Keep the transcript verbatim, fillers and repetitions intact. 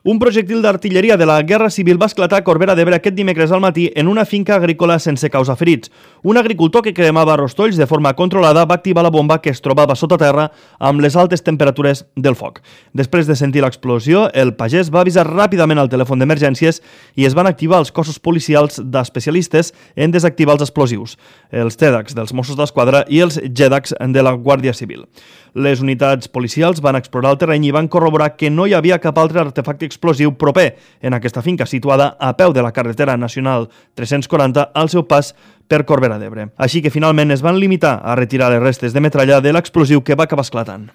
Un projectil d'artilleria de la Guerra Civil va esclatar a Corbera d'Ebre aquest dimecres al matí en una finca agrícola sense causa ferits. Un agricultor que cremava rostolls de forma controlada va activar la bomba que es trobava sota terra amb les altes temperatures del foc. Després de sentir l'explosió, el pagès va avisar ràpidament al telèfon d'emergències i es van activar els cossos policials d'especialistes en desactivar els explosius, els TEDx dels Mossos d'Esquadra i els GEDAX de la Guàrdia Civil. Les unitats policials van explorar el terreny i van corroborar que no hi havia cap altre artefacte explosiu proper en aquesta finca situada a peu de la carretera nacional tres-cents quaranta al seu pas per Corbera d'Ebre. Així que finalment es van limitar a retirar les restes de metralla de l'explosiu que va acabar esclatant.